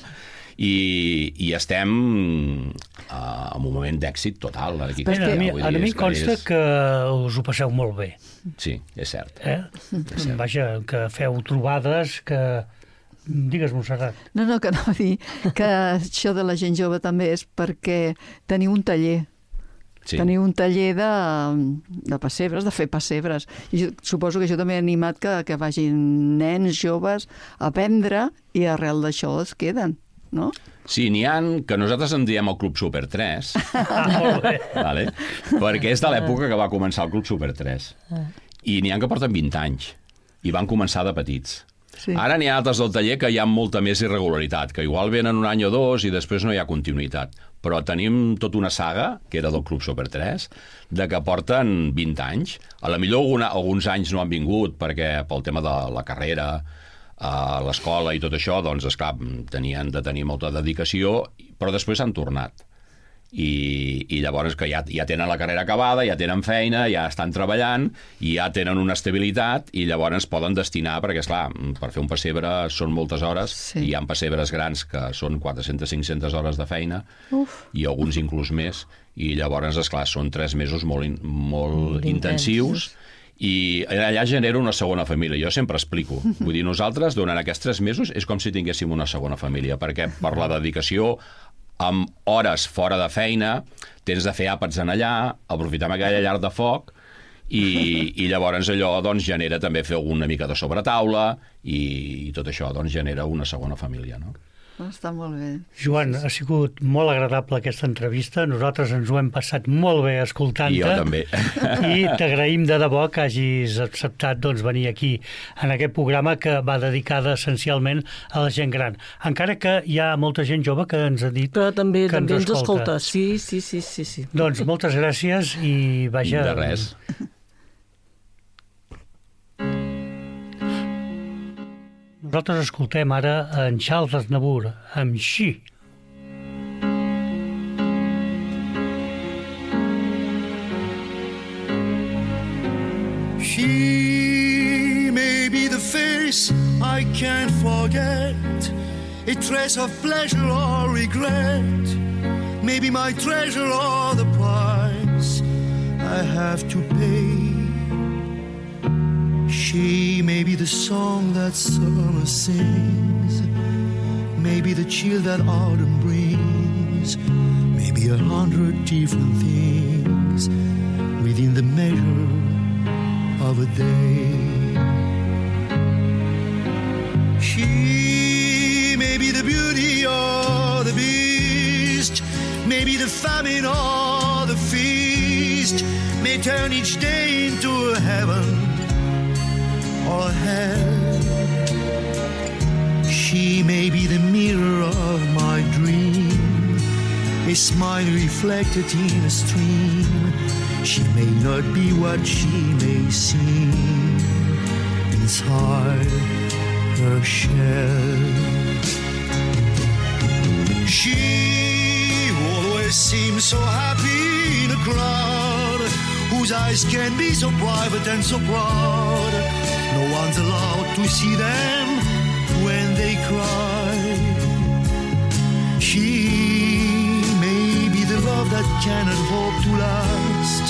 I estem en un moment d'èxit total. A mi consta que us ho passeu molt bé. Sí, és cert. Vaja, que feu trobades, que... Digues, Montserrat. No, que anava a dir que això de la gent jove també és perquè teniu un taller. Sí. Teniu un taller de pessebres, de fer pessebres. I suposo que això també ha animat que vagin nens joves a aprendre i arrel d'això es queden, no? Sí, n'hi ha que nosaltres en diem el Club Super 3, vale? Perquè és de l'època que va començar el Club Super 3. I n'hi ha que porten 20 anys i van començar de petits. Sí. Ara n'hi ha altres del taller que hi ha molta més irregularitat, que igual venen un any o dos i després no hi ha continuïtat. Però tenim tota una saga, que era del Club Super 3, de que porten 20 anys. A la millor alguns anys no han vingut perquè pel tema de la carrera, a l'escola i tot això, doncs, esclar, tenien de tenir molta dedicació, però després han tornat. I llavors que ja tenen la carrera acabada, ja tenen feina, ja estan treballant i ja tenen una estabilitat i llavors poden destinar, perquè esclar, per fer un pessebre són moltes hores, sí. I hi ha pessebres grans que són 400-500 hores de feina. Uf. I alguns inclús més, i llavors, esclar, són 3 mesos molt intensius i allà genera una segona família. Jo sempre explico. Vull dir, nosaltres, durant aquests 3 mesos, és com si tinguéssim una segona família, perquè per la dedicació amb hores fora de feina, tens de fer àpats en allà, aprofitar aquella llar de foc, i llavors allò doncs, genera també fer una mica de sobretaula, i tot això doncs, genera una segona família, no? Està molt bé. Joan, ha sigut molt agradable aquesta entrevista. Nosaltres ens ho hem passat molt bé escoltant-te. I jo també. I t'agraïm de debò que hagis acceptat doncs, venir aquí en aquest programa que va dedicada essencialment a la gent gran. Encara que hi ha molta gent jove que ens ha dit però també que ens escolta. Sí. Doncs moltes gràcies i vaja... De res. Nosaltres escoltem ara en Charles Aznavour, amb She. She may be the face I can't forget, a trace of pleasure or regret, maybe my treasure or the price I have to pay. She may be the song that summer sings, maybe the chill that autumn brings, maybe 100 different things within the measure of a day. She may be the beauty or the beast, maybe the famine or the feast, may turn each day into a heaven or hell. She may be the mirror of my dream, a smile reflected in a stream. She may not be what she may seem inside her shell. She always seems so happy in a crowd, whose eyes can be so private and so proud. No one's allowed to see them cry. She may be the love that cannot hope to last,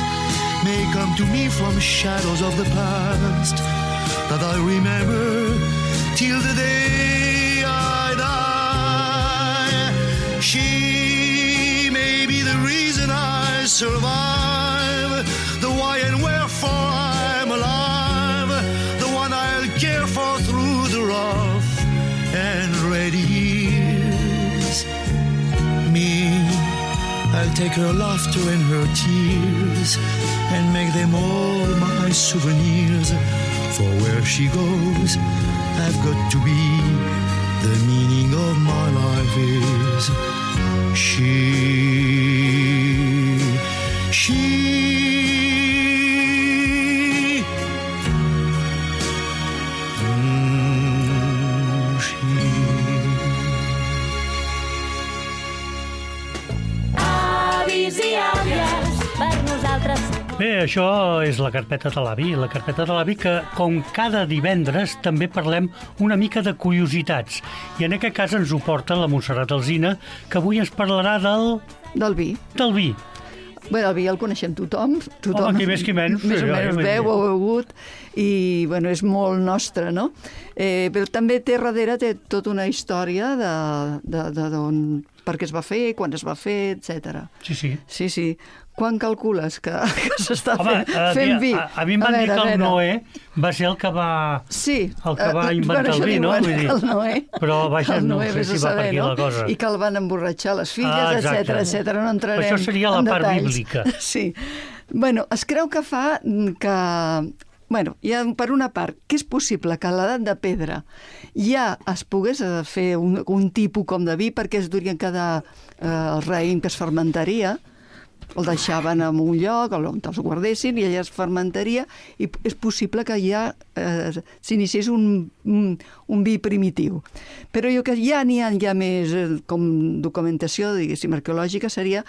may come to me from shadows of the past that I remember till the day I die. She may be the reason I survive, the why and wherefore I'm alive, the one I'll care for through the rough and ready years. Me, I'll take her laughter and her tears and make them all my souvenirs. For where she goes, I've got to be. The meaning of my life is she. Avis i àvies, per nosaltres. Bé, això és la carpeta de l'avi. La carpeta de l'avi que, com cada divendres, també parlem una mica de curiositats. I en aquest cas ens ho porta la Montserrat Alsina, que avui ens parlarà Del vi. Del vi. Bé, el vi el coneixem tothom. Home, qui més qui menys. Més o menys veu o begut. I, bueno, és molt nostre, no? Però també darrere té tota una història d'on, per què es va fer, quan es va fer, etc. Sí. Quan calcules que s'està fent vi? A mi em van dir que el Noé va ser el que va inventar el vi, no? El Noé. Però vaja, no sé si va per aquí la cosa. I que el van emborratxar les filles, etc. No entrarem en detalls. Això seria la part bíblica. Sí. Bueno, es creu que fa que... Bueno, ja per una part, que és possible que a l'edat de pedra ja es pogués fer un tipus com de vi perquè es durien cada raïm que es fermentaria, el deixaven en un lloc on els guardessin i allà es fermentaria i és possible que ja s'iniciés un vi primitiu. Però jo que ja n'hi ha més com documentació, diguéssim, arqueològica, seria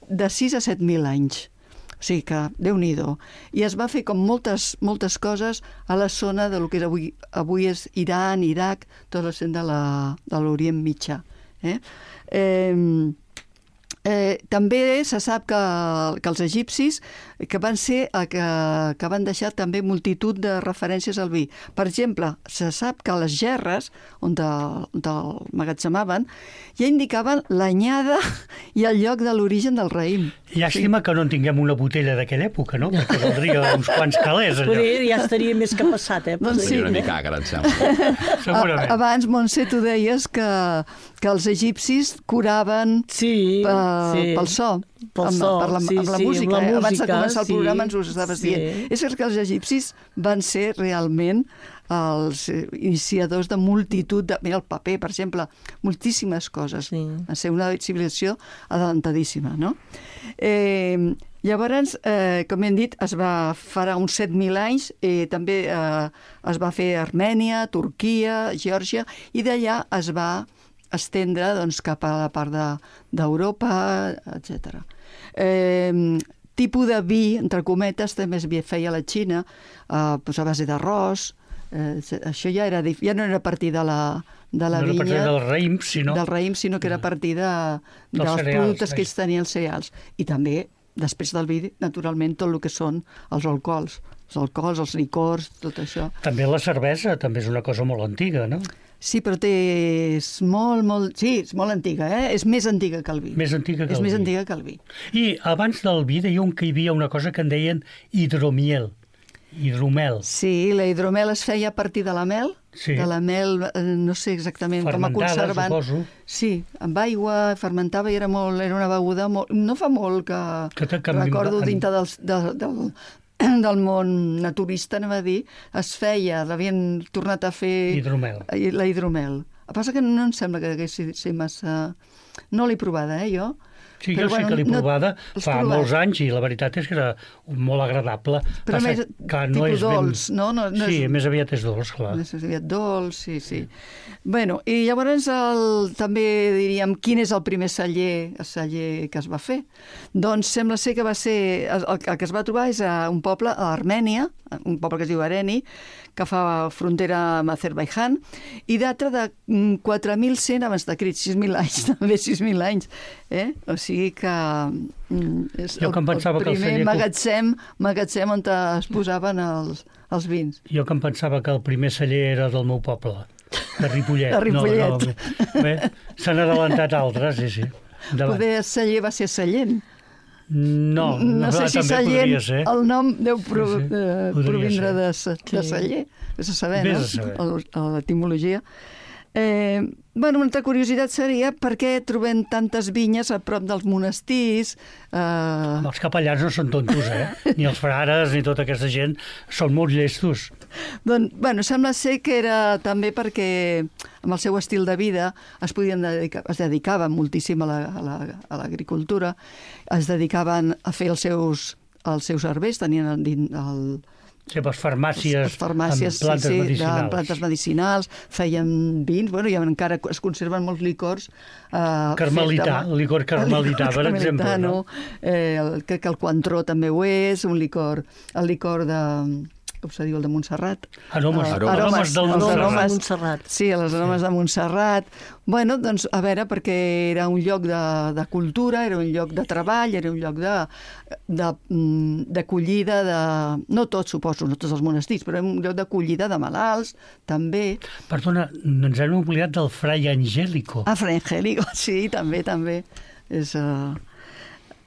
de 6 a 7.000 anys. O sigui que, Déu-n'hi-do. I es va fer com moltes coses a la zona del que avui és Iran, Iraq, tot el centre de l'Orient Mitjà. També se sap que els egipcis que van ser que van deixar també multitud de referències al vi. Per exemple, se sap que les gerres on emmagatzemaven ja indicaven l'anyada i el lloc de l'origen del raïm. Llàstima que no en tinguem una botella d'aquella època, no? Perquè valdria uns quants calés, allò. Ja estaria més que passat, Doncs sí. Una mica agra, em sembla. Segurament. Abans, Montse, tu deies que els egipcis curaven pel so. Amb la música. Abans de començar el programa ens ho estaves dient. És que els egipcis van ser realment els iniciadors de multitud mira, el paper, per exemple, moltíssimes coses. Va ser una civilització adelantadíssima, no? Llavors, com hem dit, es va farà uns 7.000 anys, també es va fer a Armènia, Turquia, Geòrgia, i d'allà es va estendre cap a la part d'Europa, etc. Tipus de vi, entre cometes, també es feia a la Xina, a base d'arròs. Això ja no era a partir de la vinya, del raïm, sinó que era a partir dels productes que ells tenien, els cereals. I també, després del vi, naturalment, tot el que són els alcohols, els licors, tot això. També la cervesa també és una cosa molt antiga, no? Sí, però és molt antiga, És més antiga que el vi. Més antiga que el vi. És més antiga que el vi. I abans del vi dèiem que hi havia una cosa que en deien hidromel. Sí, la hidromel es feia a partir de la mel. Sí. De la mel, no sé exactament com a conservant. Suposo. Sí, amb aigua, fermentava i era una beguda molt... No fa molt que recordo dintre del món naturista, anem a dir, es feia, l'havien tornat a fer... La hidromel. El que passa que no em sembla que hagués ser massa... No l'he provada, jo. Sí, jo sí que l'he provada fa molts anys i la veritat és que era molt agradable. Però més tipus dolç, no? Sí, més aviat és dolç, clar. Més aviat dolç, sí. Bueno, i llavors també diríem quin és el primer celler que es va fer. Doncs sembla ser que va ser... El que es va trobar és a un poble, a Armènia, un poble que es diu Areni, que fa frontera amb Azerbaidjan, i data de 4.100 abans de Crist, 6.000 anys, també 6.000 anys. O sigui que és el primer magatzem on es posaven els vins. Jo que em pensava que el primer celler era del meu poble, de Ripollet. De Ripollet. Bé, s'han adelantat altres, sí. Poder celler va ser Sallent. No sé si Sallent, el nom deu provindre de celler, vés a saber, no? L'etimologia. Una altra curiositat seria per què trobem tantes vinyes a prop dels monestirs. Els capellans no són tontos, ni els frares ni tota aquesta gent, són molt llestos. Doncs, sembla ser que era també perquè amb el seu estil de vida es dedicaven moltíssim a l'agricultura, es dedicaven a fer els seus herbers, tenien les farmàcies amb plantes medicinals, feien vins, i encara es conserven molts licors. Licor carmelità, per exemple. No? Crec que el Cointreau també ho és, el licor de... com se diu, el de Montserrat. Aromes del Montserrat. Sí, les aromes de Montserrat. Doncs, a veure, perquè era un lloc de cultura, era un lloc de treball, era un lloc d'acollida no tots, suposo, no tots els monestirs, però un lloc d'acollida de malalts, també. Perdona, ens hem oblidat del Fray Angélico. Fray Angélico, sí, també. És...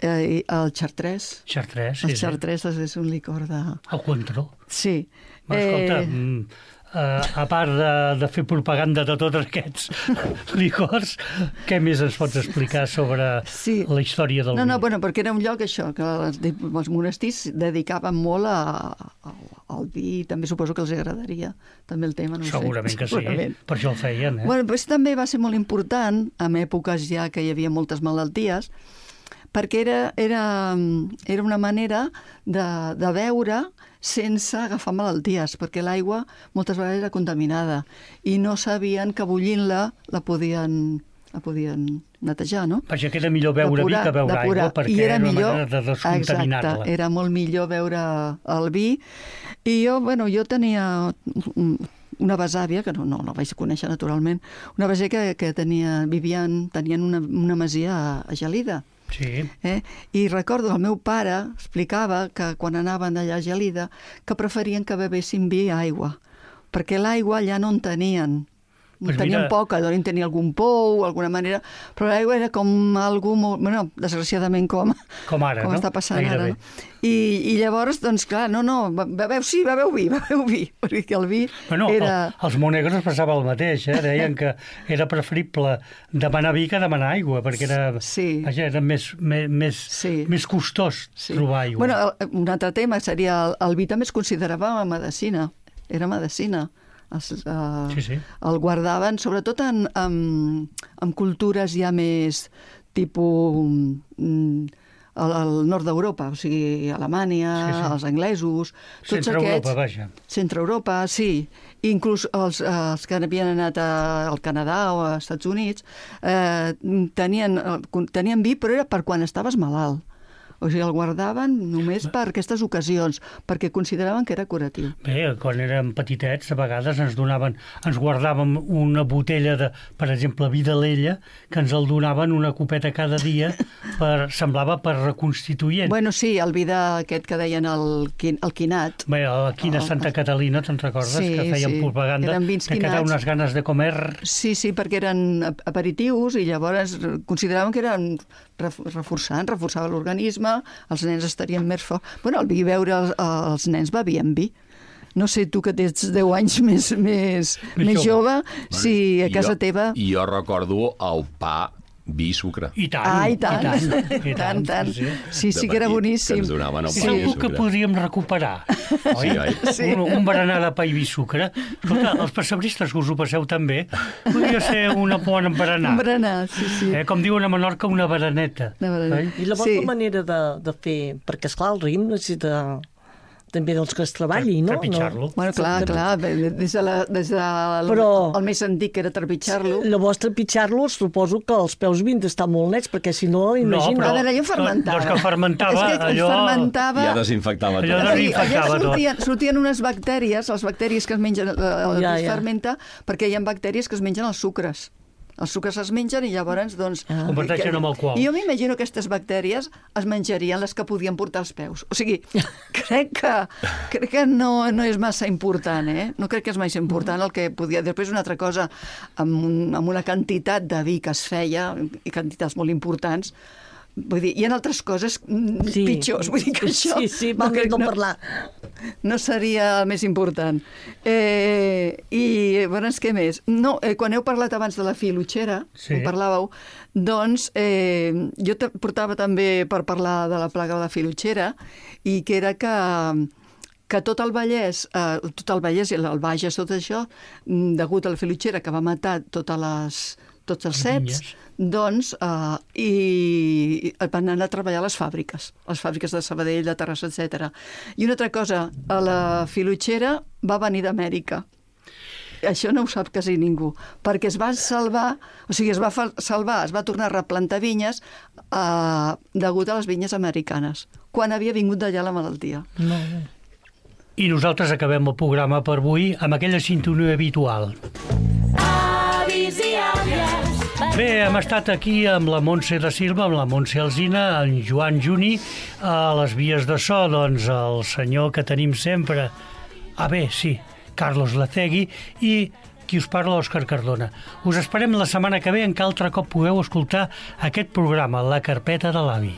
el Chartres. El Chartres és un licor de... El Cointreau. Sí. Escolta, a part de fer propaganda de tots aquests licors, què més ens pots explicar sobre la història del vi? Perquè era un lloc, això, que els monestirs dedicaven molt al vi, també suposo que els agradaria també el tema, no sé. Segurament que sí, per això el feien. Però també va ser molt important, en èpoques ja que hi havia moltes malalties, perquè era una manera de beure sense agafar malalties, perquè l'aigua moltes vegades era contaminada i no sabien que bullint-la la podien netejar, no? Perquè era millor beure vi que beure aigua, perquè era una manera de descontaminar-la. Exacte, era molt millor beure el vi. I jo tenia una besàvia, que no la vaig conèixer naturalment, una besàvia que tenien una masia a Gelida. Sí. I recordo, el meu pare explicava que quan anaven allà a Gelida que preferien que bevessin vi a aigua, perquè l'aigua allà no en tenien. Tenien poca, deuen tenir algun pou, alguna manera, però l'aigua era com algú molt... desgraciadament com ara, com està passant ara. No? I llavors, doncs clar, beveu vi, perquè el vi era... Els monegros passava el mateix, deien que era preferible demanar vi que demanar aigua, perquè era més costós trobar aigua. Un altre tema seria el vi també es considerava medicina, era medicina. El guardaven, sobretot en cultures ja més tipus al nord d'Europa, o sigui, Alemanya, els anglesos... Centre-Europa, vaja. Centre-Europa, sí. Inclús els que havien anat al Canadà o als Estats Units tenien vi, però era per quan estaves malalt. O sigui, el guardaven només per aquestes ocasions, perquè consideraven que era curatiu. Bé, quan érem petitets, a vegades ens guardàvem una botella de, per exemple, vi d'Alella, que ens el donaven una copeta cada dia, semblava per reconstituent. Sí, el vi d'aquest que deien el quinat. Bé, aquí a Santa Catalina, te'n recordes? Que feien propaganda, que quedava unes ganes de comer. Sí, perquè eren aperitius i llavors consideraven que eren reforçava l'organisme, els nens estarien més forts. El vi beure, els nens bevien vi. No sé, tu que tens 10 anys més jove, si a casa teva... Jo recordo el pa vi i sucre. I tant. I tant. Sí, que era boníssim. Que ens donaven el És algo que podríem recuperar, oi? Sí. Un berenar de pa i vi i sucre. Escolta, els pessebristes que us ho passeu també, podria ser una bona berenar. Un berenar, sí. Com diuen a Menorca, una bereneta. I la vostra manera de fer, perquè esclar, el raïm necessita també dels que es treballi, no? Trepitjar-lo. Bueno, clar, des del més antic que era trepitjar-lo. Llavors, trepitjar-lo, suposo que els peus havien d'estar molt nets, perquè si no, imagina... No, però allò fermentava. Doncs que fermentava, allò... fermentava... Ja desinfectava tot. Allà sortien unes bactèries, les bactèries que es mengen, que es fermenta, perquè hi ha bactèries que es mengen els sucres. Els sucres es mengen i llavors, doncs... Converteixen amb alcohol. I jo m'imagino que aquestes bactèries es menjarien les que podien portar els peus. O sigui, crec que no és massa important, No crec que és massa important el que podia... Després una altra cosa, amb una quantitat de vi que es feia, i quantitats molt importants, vull dir, hi ha altres coses pitjors, vull dir que això... Sí, no parlar. No seria el més important. I, llavors, què més? No, quan heu parlat abans de la filotxera, parlàveu, doncs jo portava també per parlar de la plaga de la filotxera, i que era que tot el Vallès i el Bages, tot això, degut a la filotxera que va matar tots els ceps, doncs, i van anar a treballar a les fàbriques de Sabadell, de Terrassa, etc. I una altra cosa, a la filotxera va venir d'Amèrica. Això no ho sap quasi ningú, perquè es va salvar, es va tornar a replantar vinyes degut a les vinyes americanes, quan havia vingut d'allà la malaltia. I nosaltres acabem el programa per avui amb aquella sintonia habitual. Avis i àvies. Bé, hem estat aquí amb la Montse da Silva, amb la Montse Alsina, en Joan Juni, a les vies de so, doncs el senyor que tenim sempre, Carlos Lacegui, i qui us parla, Òscar Cardona. Us esperem la setmana que ve en què altre cop pugueu escoltar aquest programa, La Carpeta de l'Avi.